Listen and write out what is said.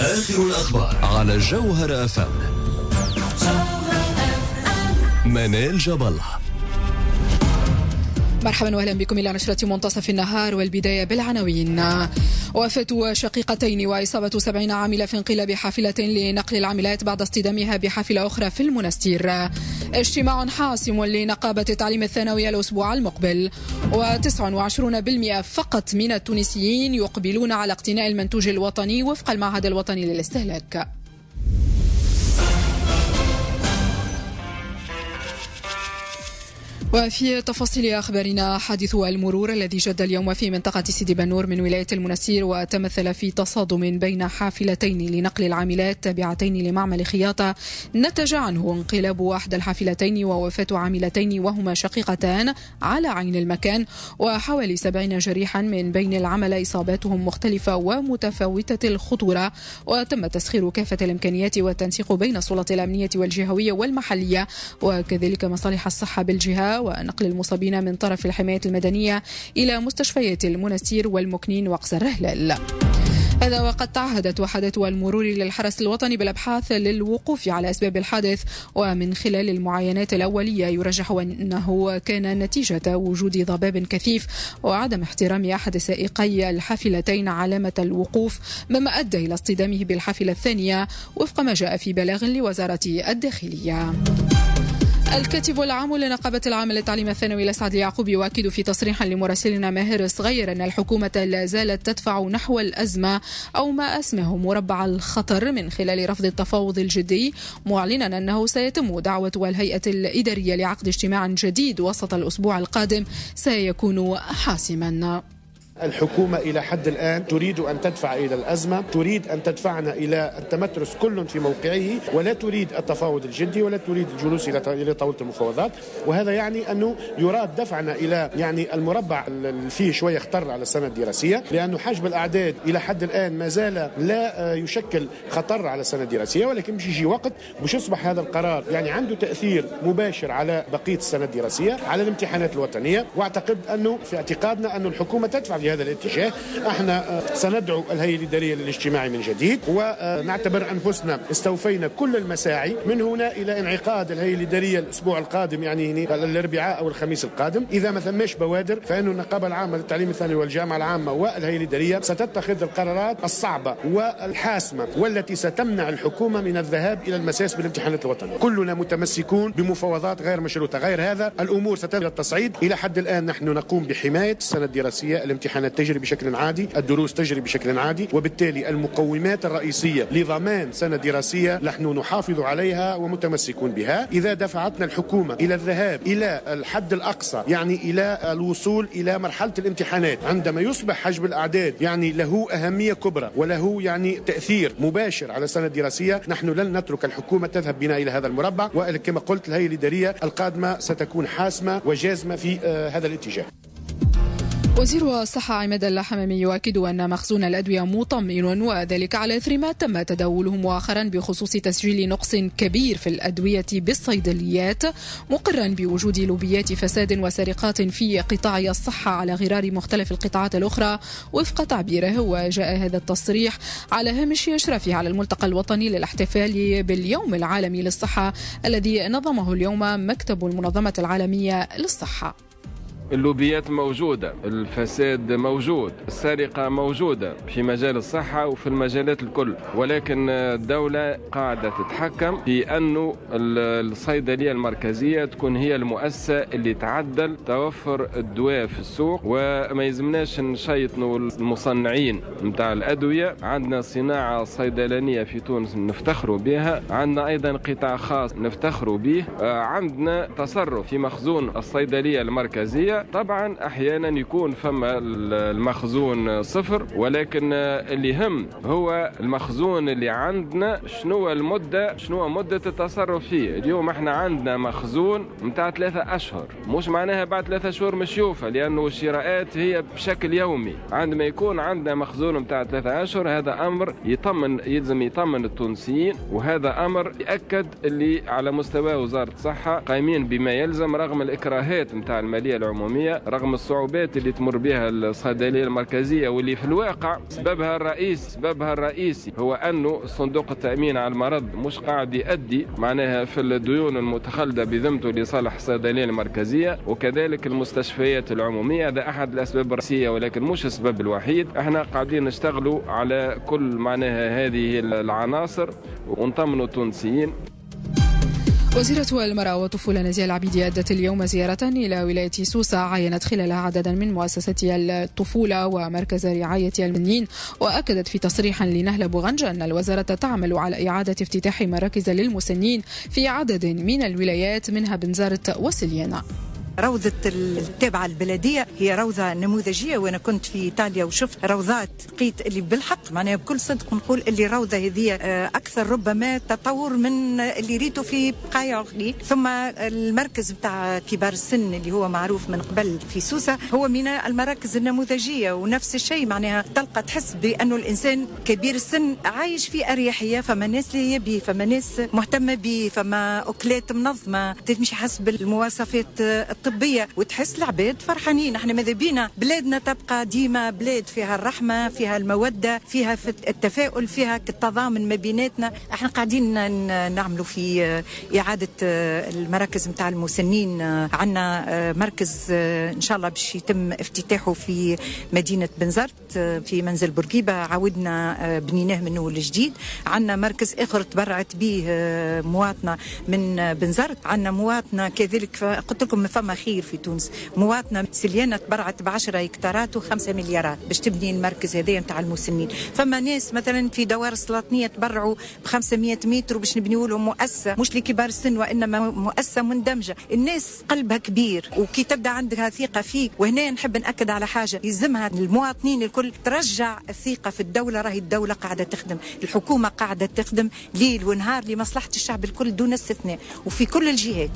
آخر الأخبار على جوهرة أف أم. منال جبل. مرحبا واهلا بكم الى نشرة منتصف النهار، والبداية بالعناوين. وفاة شقيقتين وإصابة 70 عاملة في انقلاب حافلة لنقل العاملات بعد اصطدامها بحافلة أخرى في المنستير. اجتماع حاسم لنقابة التعليم الثانوي الأسبوع المقبل. و29% فقط من التونسيين يقبلون على اقتناء المنتوج الوطني وفق المعهد الوطني للاستهلاك. وفي تفاصيل أخبارنا، حادث المرور الذي جد اليوم في منطقة سيدي بنور من ولاية المنستير وتمثل في تصادم بين حافلتين لنقل العاملات تابعتين لمعمل خياطة، نتج عنه انقلاب أحد الحافلتين ووفاة عاملتين وهما شقيقتان على عين المكان، وحوالي 70 جريحا من بين العملاء إصاباتهم مختلفة ومتفاوتة الخطورة. وتم تسخير كافة الإمكانيات والتنسيق بين السلطات الأمنية والجهوية والمحلية وكذلك مصالح الصحة بالجهة، ونقل المصابين من طرف الحماية المدنية إلى مستشفيات المنستير والمكنين وقصر الهلال. هذا وقد تعهدت وحدات المرور للحرس الوطني بالأبحاث للوقوف على أسباب الحادث، ومن خلال المعاينات الأولية يرجح أنه كان نتيجة وجود ضباب كثيف وعدم احترام أحد سائقي الحافلتين علامة الوقوف، مما أدى إلى اصطدامه بالحافلة الثانية وفق ما جاء في بلاغ لوزارة الداخلية. الكاتب العام لنقابة العام للتعليم الثانوي لسعد اليعقوب يؤكد في تصريح لمراسلنا ماهر صغير أن الحكومة لا زالت تدفع نحو الأزمة أو ما أسمه مربع الخطر من خلال رفض التفاوض الجدي، معلنا أنه سيتم دعوة الهيئة الإدارية لعقد اجتماع جديد وسط الأسبوع القادم سيكون حاسما. الحكومة إلى حد الآن تريد أن تدفع إلى الأزمة، تريد أن تدفعنا إلى التمترس كل في موقعه، ولا تريد التفاوض الجدي ولا تريد الجلوس إلى طاولة المفاوضات، وهذا يعني أنه يراد دفعنا إلى يعني المربع اللي فيه شوية خطر على السنة الدراسية، لأنه حجم الأعداد إلى حد الآن ما زال لا يشكل خطر على السنة الدراسية، ولكن مش يجي وقت مش يصبح هذا القرار يعني عنده تأثير مباشر على بقية السنة الدراسية، على الامتحانات الوطنية. وأعتقد أنه في اعتقادنا أن الحكومة تدفع في هذا الاتجاه. احنا سندعو الهيئة الإدارية للاجتماع من جديد، ونعتبر أنفسنا استوفينا كل المساعي من هنا إلى انعقاد الهيئة الإدارية الأسبوع القادم، يعني الأربعاء أو الخميس القادم. إذا ما ثماش بوادر فإن النقابة العامة للتعليم الثانوي والجامعة العامة والهيئة الإدارية ستتخذ القرارات الصعبة والحاسمة والتي ستمنع الحكومة من الذهاب إلى المساس بالامتحانات الوطنية. كلنا متمسكون بمفاوضات غير مشروطة، غير هذا الأمور ستبدأ التصعيد. إلى حد الآن نحن نقوم بحماية السنة الدراسية، الامتحانات تجري بشكل عادي، الدروس تجري بشكل عادي، وبالتالي المقومات الرئيسية لضمان سنة دراسية نحن نحافظ عليها ومتمسكون بها. إذا دفعتنا الحكومة إلى الذهاب إلى الحد الأقصى، يعني إلى الوصول إلى مرحلة الامتحانات، عندما يصبح حجم الأعداد يعني له أهمية كبرى وله يعني تأثير مباشر على السنة الدراسية، نحن لن نترك الحكومة تذهب بنا إلى هذا المربع. وكما قلت الهيئة الإدارية القادمة ستكون حاسمة وجازمة في هذا الاتجاه. وزير الصحة عماد الحمامي يؤكد أن مخزون الأدوية مطمئن، وذلك على إثر ما تم تداوله مؤخرا بخصوص تسجيل نقص كبير في الأدوية بالصيدليات، مقرا بوجود لوبيات فساد وسرقات في قطاع الصحة على غرار مختلف القطاعات الأخرى وفق تعبيره. وجاء هذا التصريح على هامش إشرافه على الملتقى الوطني للاحتفال باليوم العالمي للصحة الذي نظمه اليوم مكتب المنظمة العالمية للصحة. اللوبيات موجودة، الفساد موجود، السرقة موجودة في مجال الصحة وفي المجالات الكل، ولكن الدولة قاعدة تتحكم في أنه الصيدلية المركزية تكون هي المؤسسة اللي تعدل توفر الدواء في السوق، وما يلزمناش نشيطنوا المصنعين نتاع الأدوية. عندنا صناعة صيدلانية في تونس نفتخروا بها، عندنا أيضا قطاع خاص نفتخروا به، عندنا تصرف في مخزون الصيدلية المركزية. طبعا احيانا يكون فما المخزون صفر، ولكن اللي يهم هو المخزون اللي عندنا شنو المدة، شنو مده التصرف فيه. اليوم احنا عندنا مخزون نتاع 3 أشهر، مش معناها بعد 3 شهور مش يوفى، لانه الشراءات هي بشكل يومي. عندما يكون عندنا مخزون نتاع 3 أشهر هذا امر يطمن، يلزم يطمن التونسيين، وهذا امر ياكد اللي على مستوى وزارة الصحة قايمين بما يلزم رغم الاكراهات نتاع المالية العمومية. العمومية، رغم الصعوبات اللي تمر بها الصيدلية المركزية، واللي في الواقع سببها الرئيسي هو أنه صندوق التأمين على المرض مش قاعد يؤدي معناها في الديون المتخلدة بذمته لصالح الصيدلية المركزية وكذلك المستشفيات العمومية. هذا أحد الأسباب الرئيسية ولكن مش السبب الوحيد. احنا قاعدين نشتغلوا على كل معناها هذه العناصر ونطمنوا التونسيين. وزيرة المرأة والطفولة نزيهة العبيدي أدت اليوم زيارة إلى ولاية سوسة عاينت خلالها عددا من مؤسسات الطفولة ومركز رعاية المسنين، وأكدت في تصريح لنهلة بوغنجة أن الوزارة تعمل على إعادة افتتاح مراكز للمسنين في عدد من الولايات منها بنزرت وسليانة. روضة التابعة البلدية هي روضة نموذجية، وأنا كنت في إيطاليا وشفت روضات لقيت اللي بالحق معناها بكل صدق نقول اللي روضة هذه أكثر ربما تطور من اللي ريته في بقايع أخرى. ثم المركز بتاع كبار السن اللي هو معروف من قبل في سوسة هو من المراكز النموذجية، ونفس الشيء معناها تلقى تحس بأنه الإنسان كبير السن عايش في أريحية، فما ناس اللي يبي، فما ناس مهتمة به، فما أكلات منظمة تمشي حسب المواصفات الطبية، وتحس العباد فرحانين. احنا ماذا بينا بلادنا تبقى ديما بلاد فيها الرحمة، فيها المودة، فيها التفاؤل، فيها التضامن ما بيناتنا. احنا قاعدين نعملوا في إعادة المراكز نتاع المسنين. عندنا مركز إن شاء الله باش يتم افتتاحه في مدينة بنزرت في منزل بورقيبة، عاودنا بنيناه من أول جديد. عندنا مركز آخر تبرعت به مواطنة من بنزرت. عندنا مواطنة كذلك، قلت لكم فما خير في تونس، مواطنة سليانة تبرعت ب10 هكتارات و5 مليارات باش تبني المركز هذايا نتاع المسنين. فما ناس مثلا في دوار السلاطنية تبرعوا ب500 متر باش نبنيوا لهم مؤسسة مش لكبار السن وإنما مؤسسة مندمجة. الناس قلبها كبير وكي تبدا عندها ثقة فيك. وهنا نحب نأكد على حاجة يلزمها المواطنين الكل، ترجع الثقة في الدولة. راهي الدولة قاعدة تخدم، الحكومة قاعدة تخدم ليل ونهار لمصلحة الشعب الكل دون استثناء وفي كل الجهات.